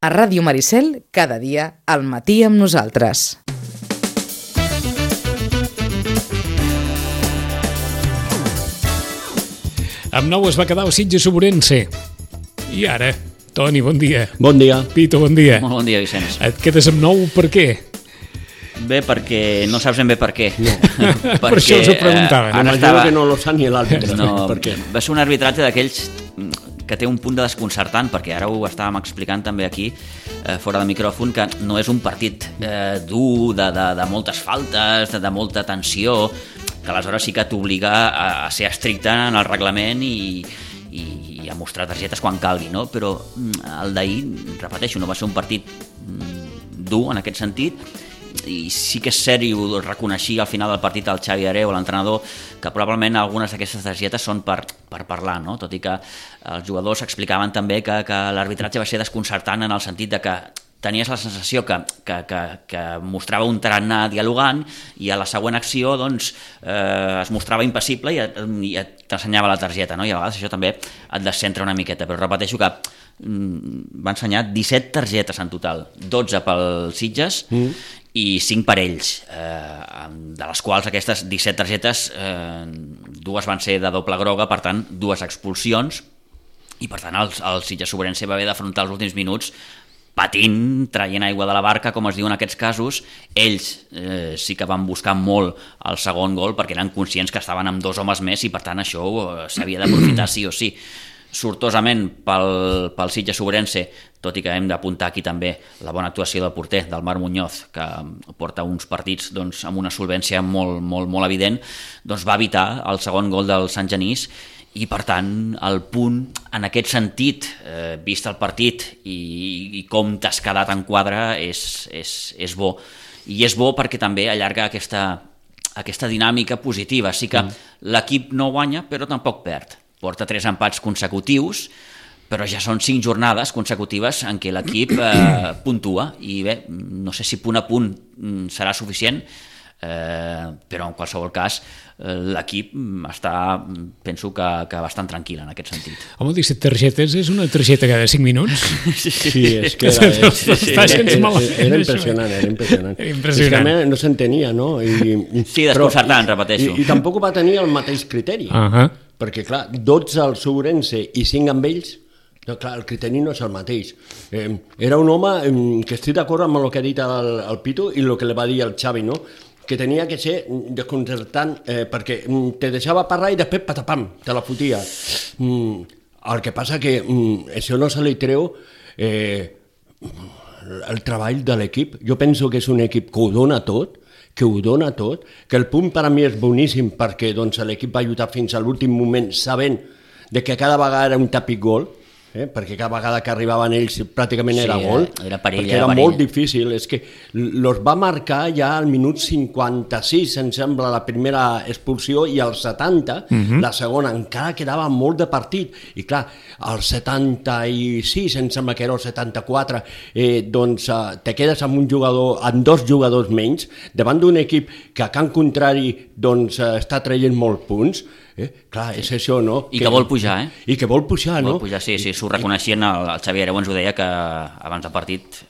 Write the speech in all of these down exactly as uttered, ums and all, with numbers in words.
A Ràdio Maricel, cada dia, al matí amb nosaltres. Amb nou es va quedar el Sitges Ourense. I ara, Toni, bon dia. Bon dia. Pito, bon dia. Molt bon dia, Vicenç. Et quedes amb nou per què? Bé, perquè no saps ben bé per què. No. Per això us ho preguntava. Eh, M'imagino estava... que no lo sap ni l'àrbitre. No, per què? Va ser un arbitratge d'aquells que té un punt de desconcertant, perquè ara ho estàvem explicant també aquí, eh, fora de micròfon, que no és un partit eh, dur, de, de, de moltes faltes, de, de molta tensió, que aleshores sí que t'obliga a, a ser estricte en el reglament i, i, i a mostrar targetes quan calgui, no? Però el d'ahir, repeteixo, no va ser un partit dur en aquest sentit, i sí que és cert, i ho reconeixia al final del partit el Xavi Hereu, l'entrenador, que probablement algunes d'aquestes targetes són per, per parlar, no? Tot i que els jugadors explicaven també que, que l'arbitratge va ser desconcertant en el sentit de que tenies la sensació que, que, que, que mostrava un tarannà dialogant i a la següent acció doncs, eh, es mostrava impassible i, i t'ensenyava la targeta, no? I a vegades això també et descentra una miqueta, però repeteixo que mm, va ensenyar disset targetes en total, dotze pel Sitges mm. i cinc per ells, eh, de les quals aquestes disset targetes, eh, dues van ser de doble groga, per tant, dues expulsions, i per tant el, el Sitges Ourense va haver d'afrontar els últims minuts patint, traient aigua de la barca, com es diu en aquests casos. Ells eh, sí que van buscar molt el segon gol perquè eren conscients que estaven amb dos homes més i per tant això eh, s'havia d'aprofitar sí o sí. Sortosament pel, pel Sitges Ourense, tot i que hem d'apuntar aquí també la bona actuació del porter, del Marc Muñoz, que porta uns partits doncs, amb una solvència molt, molt, molt evident, doncs va evitar el segon gol del Sant Genís i per tant el punt en aquest sentit, eh, vist el partit i, i com t'has quedat en quadre, és, és, és bo. I és bo perquè també allarga aquesta, aquesta dinàmica positiva. Sí que mm. l'equip no guanya però tampoc perd. Porta tres empats consecutius, però ja són cinc jornades consecutives en què l'equip eh, puntua i bé, no sé si punt a punt serà suficient, eh, però en qualsevol cas eh, l'equip està, penso que, que bastant tranquil en aquest sentit. Home, disset targetes és una targeta cada cinc minuts? Sí, és que era, era, era, era, era impressionant, era impressionant. Era impressionant. És que no s'entenia, no? I, sí, desconcertant, repeteixo. I, i tampoc va tenir el mateix criteri, uh-huh. perquè clar, dotze al Ourense i cinc amb ells, no, clar, el criteri no és el mateix. Eh, era un home eh, que estic d'acord amb el que ha dit el, el Pito i el que li va dir el Xavi, no? Que tenia que ser desconcertant eh, perquè te deixava parlar i després patapam, te la fotia. Mm, el que passa que mm, això no se li treu eh, el treball de l'equip. Jo penso que és un equip que ho dona tot, que ho dona tot, que el punt per a mi és boníssim perquè doncs, l'equip va lluitar fins a l'últim moment sabent de que cada vegada era un tàpic gol, eh? perquè cada vegada que arribaven ells pràcticament sí, era gol, era perill, perquè era, era molt difícil. És que los va marcar ja al minut cinquanta-sis, em sembla, la primera expulsió, i al setanta, uh-huh. la segona. Encara quedava molt de partit. I clar, al setanta-sis, em sembla que era el setanta-quatre, eh, doncs eh, te quedes amb un jugador, amb dos jugadors menys, davant d'un equip que a camp contrari doncs, eh, està traient molts punts. Eh? Clar, és això, no? I que, que vol pujar, eh? I que vol pujar, no? Vol pujar, sí, sí, s'ho reconeixien, el, el Xavi Hereu ens ho deia que abans del partit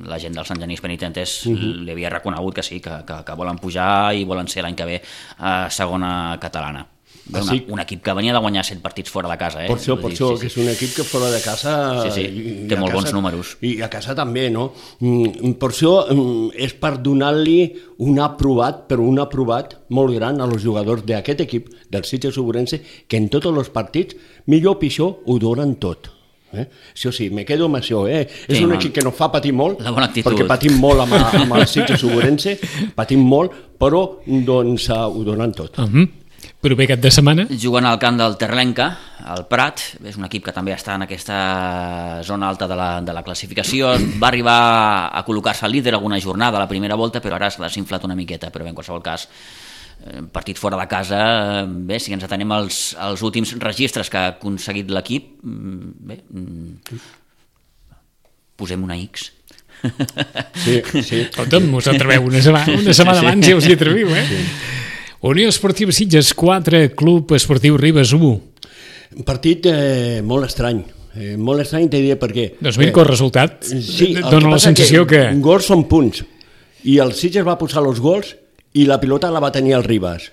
la gent del Sant Genís Penitentes uh-huh. li havia reconegut que sí, que, que, que volen pujar i volen ser l'any que ve a segona catalana. Una, sí. Un equip que venia de guanyar set partits fora de casa, eh? Per això, per dir, això, sí, sí. que és un equip que fora de casa... Sí, sí, i, té molt casa, bons números. I a casa també, no? Per això és per donar-li un aprovat, però un aprovat molt gran als jugadors d'aquest equip, del Sitges Ourense, que en tots els partits, millor o pitjor, ho donen tot. Eh? Això sí, me quedo amb això, eh? És sí, un equip que no fa patir molt, perquè patim molt amb, amb el Sitges Ourense, patim molt, però doncs ho donen tot. Uh-huh. Proper cap de setmana? Juguen al camp del Terlenca, al Prat, és un equip que també està en aquesta zona alta de la, de la classificació, va arribar a col·locar-se al líder alguna jornada a la primera volta, però ara s'ha desinflat una miqueta, però bé, en qualsevol cas, partit fora de casa, bé, si ens atenem als, als últims registres que ha aconseguit l'equip, bé, posem una X. Sí, sí. Escolta'm, us atreveu una setmana, una setmana sí, sí. abans ja us hi atreviu, eh? Sí. Unió Esportiva Sitges quatre, Club Esportiu Ribes u. Un partit eh, molt estrany. eh, molt estrany, t'he dit per què. Doncs mira que el resultat sí, el dona que la sensació que... que... Gols són punts, i el Sitges va posar els gols i la pilota la va tenir el Ribas.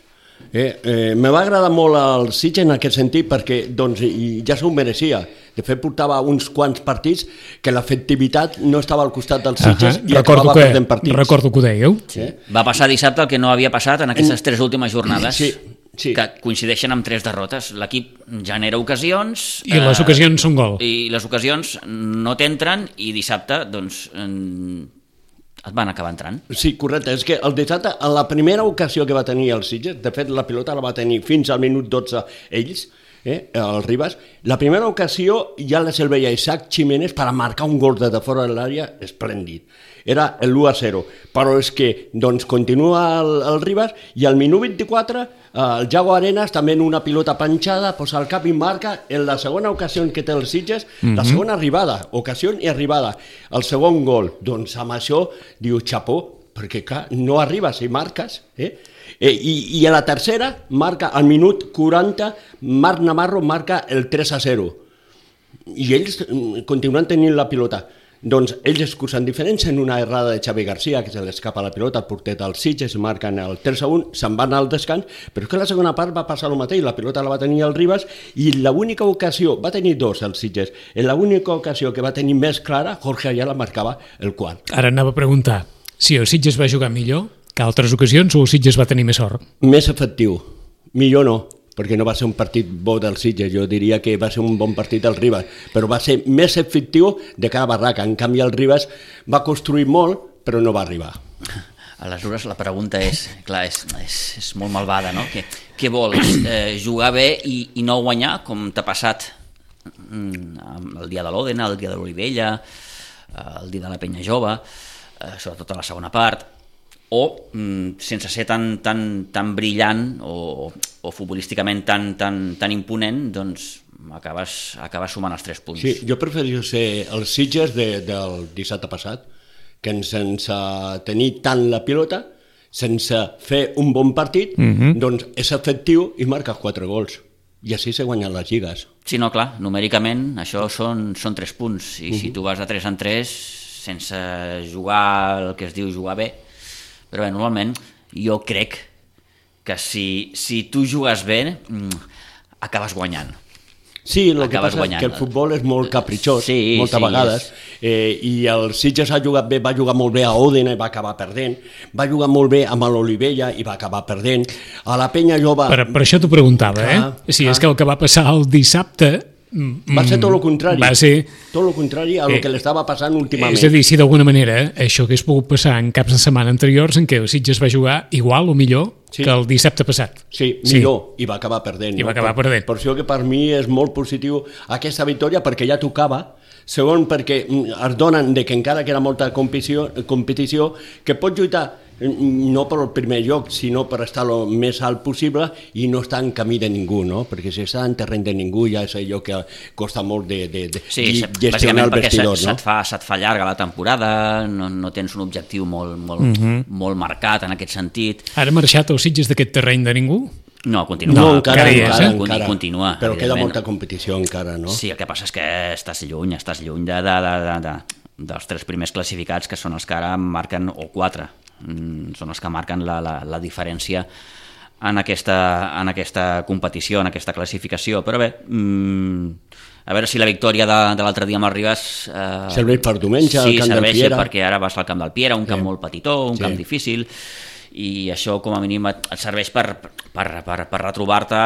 Eh, eh, me va agradar molt el Sitges en aquest sentit perquè doncs, ja s'ho mereixia. De fet, portava uns quants partits que l'efectivitat no estava al costat dels Sitges uh -huh. i recordo acabava que, perdent partits. Recordo que ho dèieu. Sí. Eh? Va passar dissabte el que no havia passat en aquestes tres últimes jornades, sí, sí. que coincideixen amb tres derrotes. L'equip genera ocasions... I les ocasions són gol. I les ocasions no t'entren i dissabte, doncs... En... et van acabar entrant. Sí, correcte. És que el dissabte, en la primera ocasió que va tenir el Sitges, de fet la pilota la va tenir fins al minut dotze ells, eh, el Ribas, la primera ocasió ja la se'l veia Isaac Jiménez per a marcar un gol de fora de l'àrea esplèndid. Era l'u a zero, però és que doncs, continua el, el Ribas i al minut vint-i-quatre eh, el Yago Arenas també en una pilota panxada posa el cap i marca en la segona ocasió que té el Sitges, mm -hmm. la segona arribada, ocasió i arribada, el segon gol. Doncs amb això diu xapó, perquè clar, no arribes i marques, eh? Eh, i, i a la tercera marca al minut quaranta, Marc Navarro marca el tres a zero i ells continuen tenint la pilota. Doncs ells excusen diferència en una errada de Xavi García, que se l'escapa la pilota, el porter del Sitges, marquen el tres a un, se'n van al descans, però és que la segona part va passar el mateix, la pilota la va tenir el Ribas i l'única ocasió, va tenir dos el Sitges, en l'única ocasió que va tenir més clara, Jorge Ayala marcava el quart. Ara anava a preguntar si el Sitges va jugar millor que altres ocasions o el Sitges va tenir més sort? Més efectiu, millor no, perquè no va ser un partit bo del Sitges, jo diria que va ser un bon partit del Ribas, però va ser més efectiu de cada barraca. En canvi el Ribas va construir molt, però no va arribar. Aleshores la pregunta és, clar, és, és, és molt malvada, no? Què, què vols? Eh, jugar bé i, i no guanyar, com t'ha passat mm, el dia de l'Òdena, el dia de l'Olivella, el dia de la Penya Jove, eh, sobretot a la segona part, o mm, sense ser tan, tan, tan brillant o, o futbolísticament tan, tan, tan imponent, doncs acabes, acabes sumant els tres punts. Sí, jo prefereixo ser els Sitges de, del dissabte passat, que sense tenir tant la pilota, sense fer un bon partit, mm-hmm. doncs és efectiu i marques quatre gols. I així se guanyen les lligues. Sí, no, clar, numèricament això són, són tres punts, i mm-hmm. si tu vas de tres en tres, sense jugar el que es diu jugar bé, però bé, normalment jo crec que si, si tu jugues bé acabes guanyant. Sí, el que passa guanyant. És que el futbol és molt capritxós, sí, moltes sí, vegades, és... eh, i el Sitges ha jugat bé, va jugar molt bé a Òdena i va acabar perdent, va jugar molt bé amb l'Olivella i va acabar perdent, a la Penya Jove... Per, per això t'ho preguntava, clar, eh? Sí, clar. És que el que va passar el dissabte... Va ser tot el contrari, va ser... tot el contrari a el eh, que l'estava passant últimament. És a dir, si d'alguna manera això hagués pogut passar en caps de setmana anteriors en què el Sitges va jugar igual o millor sí. que el dissabte passat. Sí, millor, sí. I va acabar perdent. I no? va acabar per, perdent. Per això que per mi és molt positiu aquesta victòria, perquè ja tocava, segon perquè es donen de que encara que era molta competició, competició que pot lluitar no per el primer lloc, sinó per estar el més alt possible i no estar en camí de ningú, no? Perquè si està en terreny de ningú ja és allò que costa molt de, de, de sí, gestionar el vestidor, se, no? Se't fa, se't fa llarga la temporada, no, no tens un objectiu molt, molt, uh-huh. molt marcat en aquest sentit. Ara ha marxat el Sitges d'aquest terreny de ningú? No, continua. No, encara, encara, encara, encara. continua. Però queda molta competició encara, no? Sí, el que passa és que estàs lluny, estàs lluny de, de, de, de, de, dels tres primers classificats, que són els que ara marquen, o quatre, són els que marquen la, la, la diferència en aquesta, en aquesta competició, en aquesta classificació. Però bé, mmm, a veure si la victòria de, de l'altre dia amb el Ribas eh, serveix per diumenge al sí, camp del Piera. Sí, serveix perquè ara vas al camp del Piera, un camp sí. molt petitó, un sí. camp difícil, i això com a mínim et, et serveix per, per, per, per retrobar-te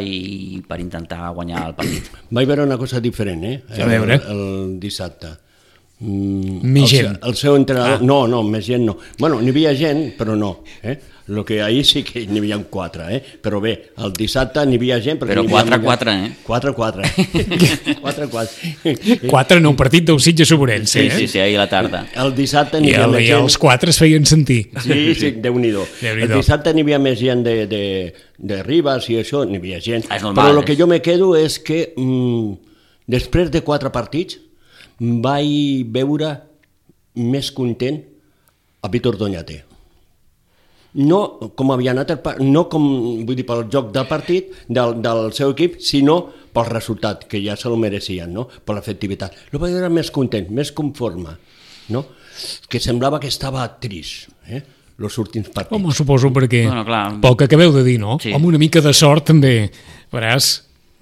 i per intentar guanyar el partit. Vaig veure una cosa diferent, eh? A veure. El, el dissabte. Mm, més el, gent. El seu entrenador... Ah. No, no, més gent no. Bueno, n'hi havia gent, però no. Eh? El que ahir sí que n'hi havia quatre, eh? Però bé, el dissabte n'hi havia gent... Però quatre a quatre, eh? quatre a quatre. quatre a quatre. quatre en un partit del Sitges Sobrense, sí, eh? Sí, sí, ahir a la tarda. El dissabte n'hi havia el, més gent... I els gent... quatre es feien sentir. Sí, sí, Déu-n'hi-do. Déu-n'hi-do. El dissabte n'hi havia més gent de, de, de Ribas i això, n'hi havia gent. És normal, però el que és... jo me quedo és que mm, després de quatre partits vaig veure més content a Víctor Doñate. No com havia anat, el, no com, vull dir, pel joc del partit, del, del seu equip, sinó pel resultat, que ja se'l mereixien, no? Per l'efectivitat. El vaig veure més content, més conforme, no? Que semblava que estava trist, eh? Els últims partits. Home, suposo perquè bueno, clar. Pel que acabeu de dir, no? Sí. Amb una mica de sort també, veràs,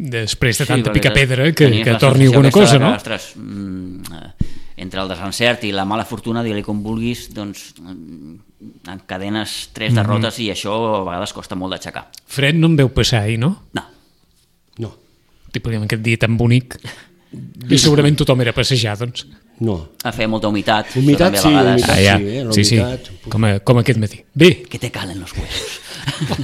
després de tanta sí, picapedra, que, que torni alguna cosa, no? Que, ostres, mm, entre el desencert i la mala fortuna, digue-li com vulguis, doncs encadenes tres derrotes mm-hmm. i això a vegades costa molt d'aixecar. Fred no em veu passar ahir, no? No. No. Tipo, aquest dia tan bonic. I segurament tothom era a passejar, doncs. No. A fer molta humitat. Humitat sí, humitat ah, ja. sí, eh? sí, sí, com, a, com aquest matí. Bé. Que te calen els huesos.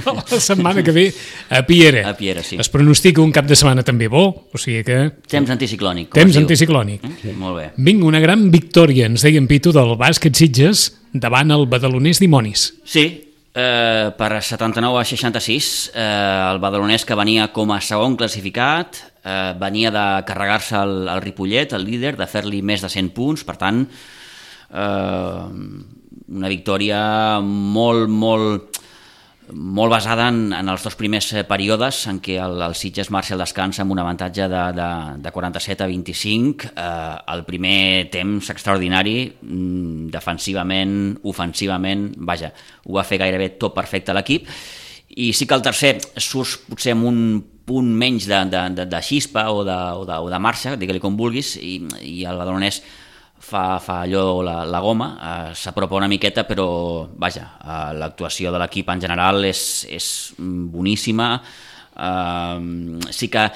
La setmana que ve a Piera. A Piera, sí. Es pronostica un cap de setmana també bo, o sigui que... Temps anticiclònic. Temps anticiclònic. Mm? Sí. Molt bé. Vinga, una gran victòria, ens deien Pitu, del bàsquet Sitges davant el Badalonès Dimonis. Sí, eh, per setanta-nou a seixanta-sis, eh, el badalonès que venia com a segon classificat, eh, venia de carregar-se el, el Ripollet, el líder, de fer-li més de cent punts, per tant, eh, una victòria molt, molt, molt basada en, en els dos primers períodes en què el, el Sitges marxa al descans amb un avantatge de, de, de quaranta-set a vint-i-cinc, eh, el primer temps extraordinari, defensivament, ofensivament, vaja, ho va fer gairebé tot perfecte l'equip, i sí que el tercer surt potser amb un punt menys de, de, de, de xispa o de, o de, o de marxa, digue-li com vulguis, i, i el badalonès fa, fa allò la, la goma, eh, s'apropa una miqueta, però vaja, eh, l'actuació de l'equip en general és, és boníssima, eh, sí que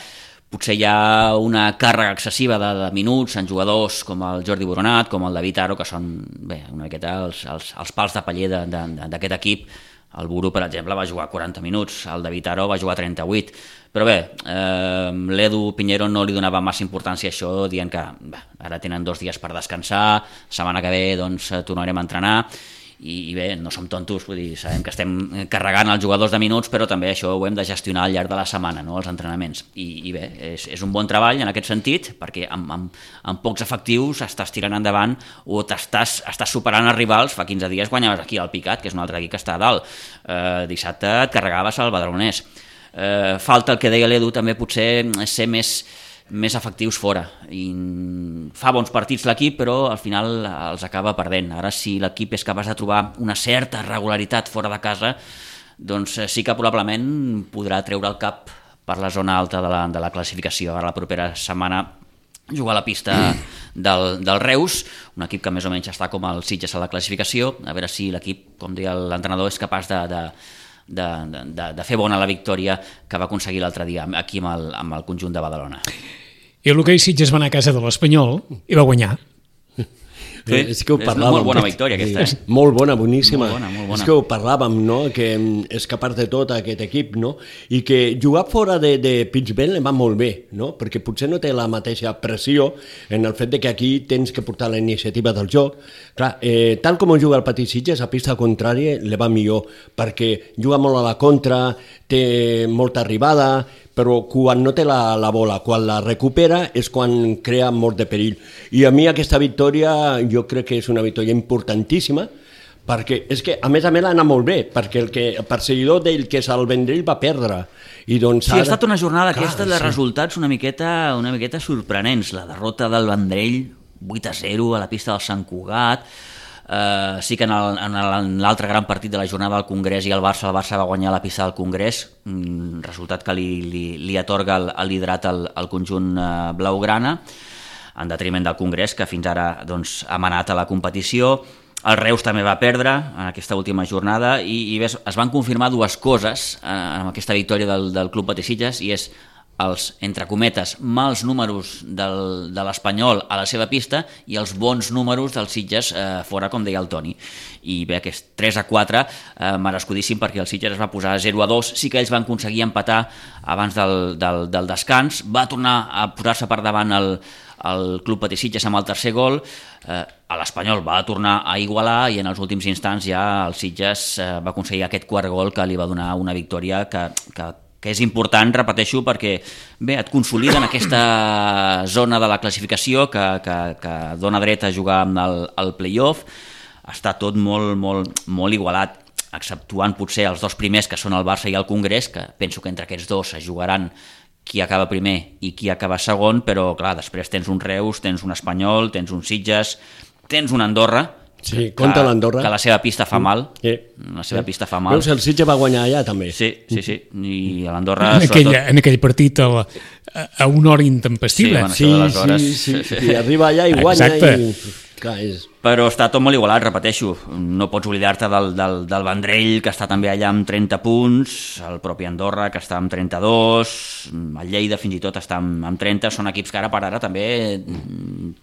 potser hi ha una càrrega excessiva de, de minuts en jugadors com el Jordi Boronat, com el David Aro, que són bé, una miqueta els, els, els pals de paller d'aquest equip. El Buru, per exemple, va jugar quaranta minuts, el David Aro va jugar trenta-vuit, però bé, eh, l'Edu Pinheiro no li donava massa importància a això, dient que bé, ara tenen dos dies per descansar, setmana que ve doncs, tornarem a entrenar, i, i bé, no som tontos, vull dir, sabem que estem carregant els jugadors de minuts, però també això ho hem de gestionar al llarg de la setmana, no?, els entrenaments, i, i bé, és, és un bon treball en aquest sentit, perquè amb, amb, amb pocs efectius estàs tirant endavant o t'estàs estàs superant els rivals. Fa quinze dies guanyaves aquí al Picat, que és un altre equip que està a dalt, eh, dissabte et carregaves al Badalonès, eh, falta el que deia l'Edu també potser ser més més efectius fora, i fa bons partits l'equip, però al final els acaba perdent. Ara, si l'equip és capaç de trobar una certa regularitat fora de casa, doncs sí que probablement podrà treure el cap per la zona alta de la, de la classificació. Ara la propera setmana jugar a la pista del, del Reus, un equip que més o menys està com el Sitges a la classificació, a veure si l'equip, com deia l'entrenador, és capaç de, de De, de, de fer bona la victòria que va aconseguir l'altre dia aquí amb el, amb el conjunt de Badalona. I el l'hoquei Sitges va anar a casa de l'Espanyol i va guanyar. Sí, és que ho és una molt bona victòria aquesta. És molt bona, boníssima. Molt bona, molt bona. És que ho parlàvem, no?, que és capaç de tot aquest equip, no?, i que jugar fora de, de Pittsburgh va molt bé, no?, perquè potser no té la mateixa pressió en el fet de que aquí tens que portar la iniciativa del joc. Clar, eh, tal com juga el Petit Sitges, a pista contrària li va millor, perquè juga molt a la contra, té molta arribada, però quan no té la, la bola, quan la recupera, és quan crea molt de perill. I a mi aquesta victòria jo crec que és una victòria importantíssima, perquè és que a més a més l'ha anat molt bé, perquè el, que, el perseguidor d'ell, que és el Vendrell, va perdre. I doncs sí, ara... ha estat una jornada Clar, aquesta de sí. resultats una miqueta, una miqueta sorprenents. La derrota del Vendrell, vuit a zero a la pista del Sant Cugat. Uh, sí que en, el, en l'altre gran partit de la jornada del Congrés i el Barça, el Barça va guanyar la pista del Congrés, mm, resultat que li, li, li atorga el, el liderat al, al conjunt uh, blaugrana, en detriment del Congrés, que fins ara doncs, ha manat a la competició. El Reus també va perdre en aquesta última jornada i, i ves, es van confirmar dues coses eh, amb aquesta victòria del, del Club Petit Sitges, i és els, entre cometes, mals números del, de l'Espanyol a la seva pista i els bons números dels Sitges eh, fora, com deia el Toni. I bé, aquest tres a quatre eh, merescudíssim, perquè el Sitges es va posar zero a dos, sí que ells van aconseguir empatar abans del, del, del descans, va tornar a posar-se per davant el, el Club Petit Sitges amb el tercer gol, eh, a l'Espanyol va tornar a igualar i en els últims instants ja el Sitges eh, va aconseguir aquest quart gol que li va donar una victòria que, que que és important, repeteixo, perquè bé, et consolida en aquesta zona de la classificació que, que, que dona dret a jugar amb el, el play-off. Està tot molt, molt, molt igualat, exceptuant potser els dos primers, que són el Barça i el Congrés, que penso que entre aquests dos es jugaran qui acaba primer i qui acaba segon, però clar, després tens un Reus, tens un Espanyol, tens un Sitges, tens un Andorra, sí, compta l'Andorra, que la seva pista fa mal, sí. la seva sí. pista fa mal. Veus, el Sitges va guanyar allà també. Sí, sí, sí, i l'Andorra... En, aquell, sobretot... en aquell partit a, la, a una hora intempestiva. Sí, bueno, sí, hores... sí, sí, sí, i arriba allà i guanya. Exacte. I... Clar, és... Però està tot molt igualat, repeteixo. No pots oblidar-te del, del, del Vendrell, que està també allà amb trenta punts, el propi Andorra, que està amb trenta-dos, el Lleida fins i tot està amb, amb trenta, són equips que ara per ara també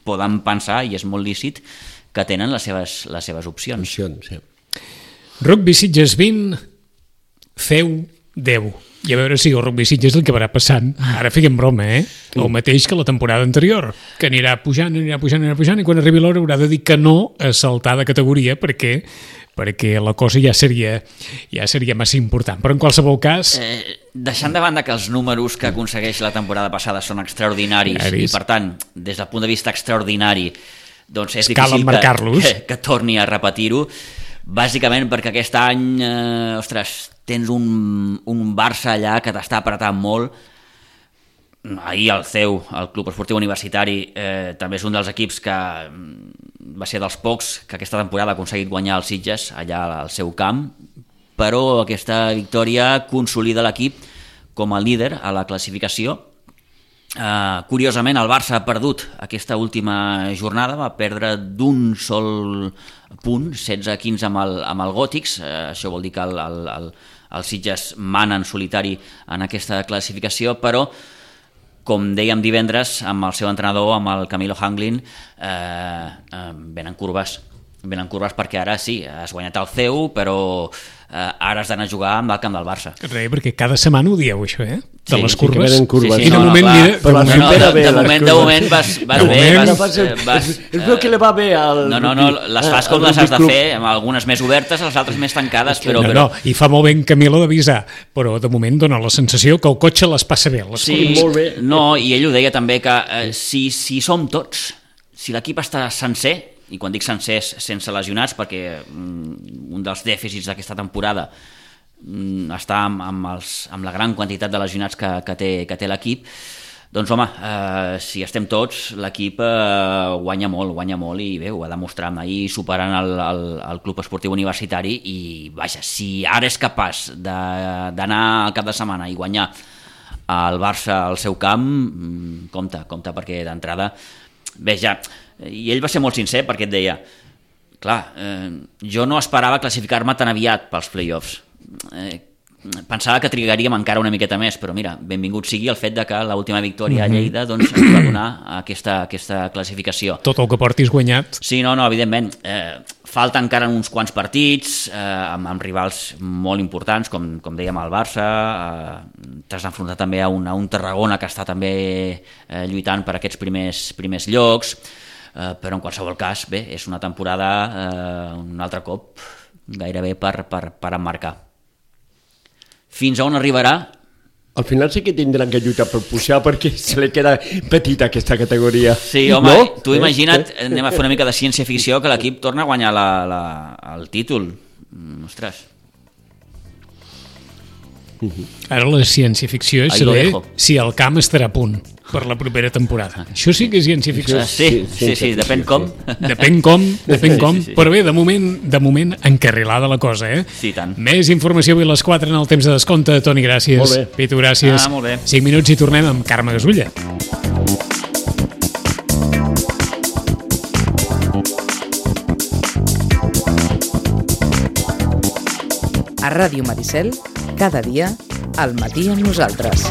poden pensar, i és molt lícit, que tenen les seves, les seves opcions. opcions sí. Rugby Sitges vint, C E U deu. I a veure si el Rugby Sitges el que va passant. Ara fèiem broma, eh? El mateix que la temporada anterior, que anirà pujant, anirà pujant, anirà pujant, i quan arribi l'hora haurà de dir que no a saltar de categoria, perquè perquè la cosa ja seria ja seria massa important. Però en qualsevol cas... Eh, deixant de banda que els números que aconsegueix la temporada passada són extraordinaris, Aris. i per tant, des del punt de vista extraordinari, doncs és Cal difícil que, que, que torni a repetir-ho, bàsicament perquè aquest any, eh, ostres, tens un, un Barça allà que t'està apretant molt. Ahir el C E U, el Club Esportiu Universitari, eh, també és un dels equips que va ser dels pocs que aquesta temporada ha aconseguit guanyar els Sitges allà al seu camp, però aquesta victòria consolida l'equip com a líder a la classificació. Uh, curiosament, el Barça ha perdut aquesta última jornada, va perdre d'un sol punt, setze a quinze amb el, amb el Gòtics. Uh, això vol dir que el, el, el, el Sitges mana en solitari en aquesta classificació, però com dèiem divendres amb el seu entrenador, amb el Camilo Hanglin, eh, eh, venen curves venen curves perquè ara sí, has guanyat el C E U, però eh, ara has d'anar a jugar amb el camp del Barça. Re, perquè cada setmana ho dieu, això, eh? De sí, les sí curves. Sí, curves. Sí, sí, I de no, moment, no, mira... Però la no, no, de, bé, de, moment, de moment vas, vas de bé. Moment, vas, vas, vas, és el que li va bé al... No, no, no, les fas com les has de fer, amb algunes més obertes, les altres més tancades, però... No, no, i fa molt bé en Camilo d'avisar, però de moment dona la sensació que el cotxe les passa bé. Les sí, molt bé. No, i ell ho deia també, que eh, si, si som tots, si l'equip està sencer, i quan dic sencers sense lesionats, perquè mm, un dels dèficits d'aquesta temporada mm, està amb, amb, els, amb la gran quantitat de lesionats que, que té, que té l'equip, doncs home, eh, si estem tots, l'equip eh, guanya molt, guanya molt, i bé, ho va demostrar ahir superant el, el, el Club Esportiu Universitari, i vaja, si ara és capaç d'anar al cap de setmana i guanyar el Barça al seu camp, mm, compte, compte, perquè d'entrada, bé, ja... I ell va ser molt sincer perquè et deia, clar, eh, jo no esperava classificar-me tan aviat pels play-offs. Eh, pensava que trigaríem encara una miqueta més, però mira, benvingut sigui el fet de que l'última victòria a Lleida doncs, ens va donar aquesta, aquesta classificació. Tot el que portis guanyat. Sí, no, no, evidentment. Eh, falta encara uns quants partits eh, amb, amb rivals molt importants, com, com dèiem el Barça, eh, t'has d'enfrontar també a un, a un Tarragona que està també eh, lluitant per aquests primers, primers llocs. Uh, però en qualsevol cas, bé, és una temporada uh, un altre cop gairebé per, per, per emmarcar. Fins a on arribarà? Al final sí que tindran que lluitar per pujar perquè se li queda petita aquesta categoria. Sí, home, no? tu imagina't, eh? anem a fer una mica de ciència-ficció, que l'equip torna a guanyar la, la, el títol. Mm, ostres. Ara la ciència-ficció és saber si el camp estarà a punt per la propera temporada. Això sí que és ciència-ficció. Sí, sí, sí, sí, depèn com. Depèn com, depèn com, sí, sí, sí. Però bé, de moment, de moment encarrilada la cosa, eh? Sí, tant. Més informació avui a les quatre en el temps de descompte. Toni, gràcies. Molt bé. Pitu, gràcies. Ah, molt bé. cinc minuts i tornem amb Carme Gasulla. A Ràdio Maricel, cada dia, al matí amb nosaltres.